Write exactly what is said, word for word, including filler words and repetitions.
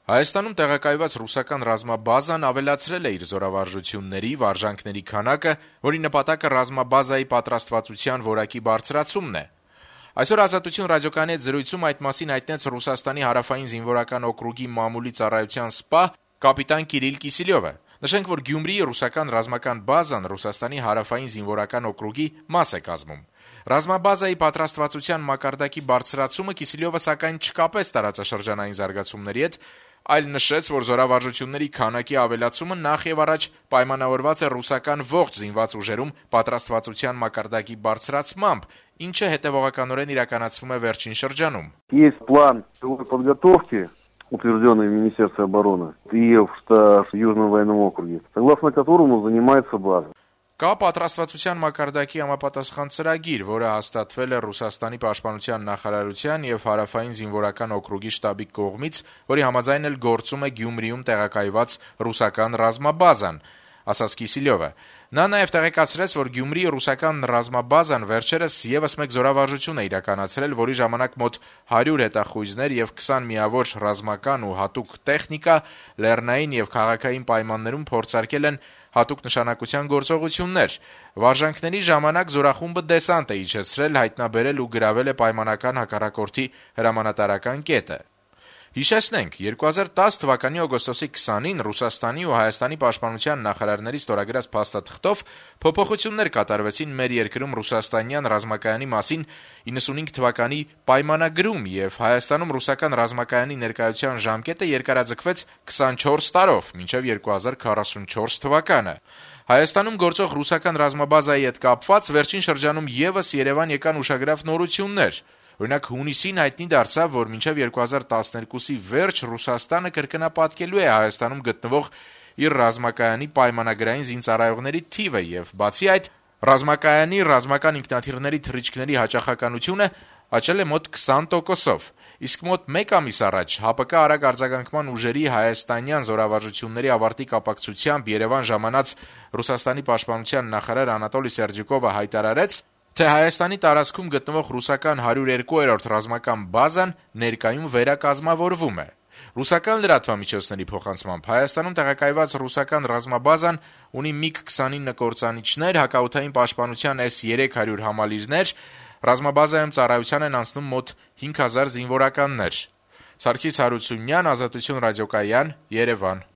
Հայաստանում տեղակայված ռուսական ռազմաբազան ավելացրել է իր զորավարժությունների, վարժանքների քանակը, որի նպատակը ռազմաբազայի պատրաստվածության որակի բարձրացումն է։ Այսօր «Ազատություն» ռադիոկայանի հետ զրույցում այդ մասին հայտնեց Ռուսաստանի հարավային զինվորական օկրուգի մամուլի ծառայության սպա կապիտան Կիրիլ Կիսիլյովը։ Նշենք, որ Գյումրիի ռուսական ռազմական բազան Ռուսաստանի հարավային զինվորական օկրուգի մաս է կազմում։ Ռազմաբազայի պատրաստվածության մակարդակի բարձրացումը Կիսիլյովը սակայն չկապեց տարածաշրջանային զարգացումների հետ, այլ նշեց, որ զորավարժությունների քանակի ավելացումը նախևառաջ պայմանավորված է ռուսական ողջ զինված ուժերում պատրաստվածության մակարդակի բարձրացմամբ, ինչը հետևողականորեն իրականացվում է վերջին շրջանում։ Есть план силовой подготовки, утвержденный в Министерстве обороны и в Южном военном округе, согласно которому занимается база. Կա պատրաստվածության մակարդակի համապատասխան ծրագիր, որը հաստատվել է Ռուսաստանի պաշտպանության նախարարության եւ հարավային զինվորական օկրուգի շտաբի կողմից, որի համաձայն էլ գործում է Գյումրիում տեղակայված ռուսական ռազմաբազան, ասաց Կիսիլյովը։ Նա նաեւ տեղեկացրեց, որ Գյումրիի ռուսական ռազմաբազան վերջերս եւս մեկ զորավարժություն է իրականացրել, որի ժամանակ մոտ հարյուր հետախույզներ եւ քսան միավոր ռազմական ու հատուկ տեխնիկա լեռնային եւ քաղաքային պայմաններում փորձարկել են հատուկ նշանակության գործողություններ։ Վարժանքների ժամանակ զորախումբը դեսանտ է իջեցրել, հայտնաբերել ու գրավել է պայմանական հակառակորդի հրամանատարական կետը։ Հիշեցնենք, երկու հազար տասը թվականի օգոստոսի քսանին Ռուսաստանի ու Հայաստանի պաշտպանության նախարարների ստորագրած փաստաթղթով փոփոխություններ կատարվեցին մեր երկրում ռուսաստանյան ռազմակայանի մասին իննսունհինգ թվականի պայմանագրում եւ Հայաստանում ռուսական ռազմակայանի ներկայության ժամկետը երկարաձգվեց քսանչորս տարով, մինչեւ երկու հազար քառասունչորս թվականը։ Հայաստանում գործող ռուսական ռազմաբազայի հետ կապված վերջին շրջանում եւս Երևան եկան ուշագրավ նորություններ։ Օրինակ հունիսին հայտնի դարձավ, որ մինչև երկու հազար տասներկուսի վերջ Ռուսաստանը կրկնապատկելու է Հայաստանում գտնվող իր ռազմակայանի պայմանագրային զինծառայողների թիվը եւ բացի այդ ռազմակայանի ռազմական ինքնաթիռների թռիչքների հաճախականությունը աճել է մոտ քսան տոկոսով։ Իսկ մոտ մեկ ամիս առաջ ՀԱՊԿ արագ արձագանքման ուժերի հայաստանյան զորավարժությունների ավարտի կապակցությամբ Երևան ժամանած Ռուսաստանի պաշտպանության նախարար Անատոլի Սերդյուկովը հայտարարեց, թե Հայաստանի տարածքում գտնվող ռուսական հարյուր երկու-րդ ռազմական բազան ներկայում վերակազմավորվում է։ Ռուսական լրատվամիջոցների փոխանցմամբ Հայաստանում տեղակայված ռուսական ռազմաբազան ունի միգ քսանինը կործանիչներ, հակաօդային պաշտպանության էս երեք հարյուր համալիրներ, ռազմաբազայում ծառայության են անցնում մոտ հինգ հազար զինվորականներ։ Սարգիս Հարությունյան, Ազատություն ռադիոկայան, Երևան։